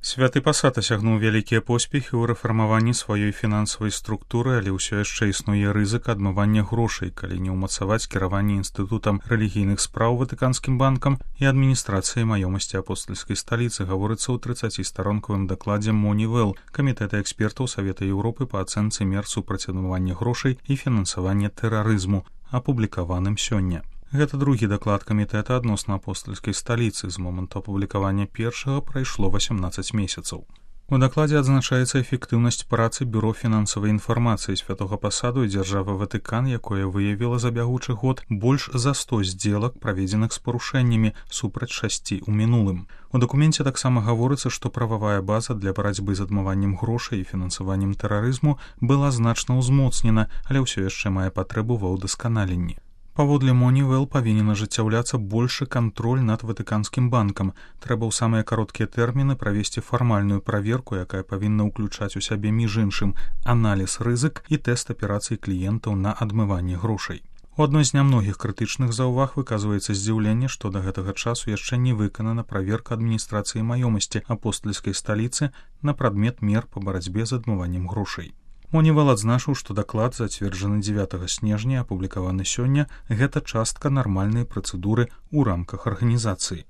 Святы пасад асягнуў вялікія поспехі ў рэфармаванні сваёй фінансавай структуры, але ўсё яшчэ існуе рызыка адмывання грошай, калі не ўмацаваць кіраванне інстытутам рэлігійных спраў Ватыканскім банкам і адміністрацыяй маёмасці апостальскай сталіцы, гаворыцца ў 30-старонкавым дакладзе Moneyval, камітэта экспертаў Савета Еўропы па ацэнцы мер супраць адмывання грошай і фінансавання тэрарызму, апублікаваным сёння. Гэта другі даклад камітэта адносна апостальскай сталіцы. З моманту апублікавання першага прайшло 18 месяцаў. У дакладзе адзначаецца эфектыўнасць працы бюро фінансавай інфармацыі святога пасаду і дзяржавы Ватыкан, якое выявіла за бягучы год больш за 100 здзелак, праведзеных з парушэннямі, супраць 6 у мінулым. У дакуменце таксама гаворыцца, што прававая база для барацьбы з адмываннем грошай і фінансаваннем тэрарызму была значна ўзмоцнена, але ўсё яшчэ мае патрэбу ва ўдасканаленні. Паводле Moneyval павінен ажыццяўляцца большы кантроль над Ватыканскім банкам. Трэба ў самыя кароткія тэрміны правесці фармальную праверку, якая павінна ўключаць у сябе між іншым аналіз рызык і тэст аперацый кліентаў на адмыванне грошай. У адной з нямногіх крытычных заўваг выказваецца здзіўленне, што да гэтага часу яшчэ не выканана праверка адміністрацыі маёмасці апостальскай сталіцы на прадмет мер па барацьбе з адмываннем грошай. Moneyval адзначыў, што даклад, зацверджаны 9 снежня, апублікаваны сёння, гэта частка нармальнай працэдуры ў рамках арганізацыі.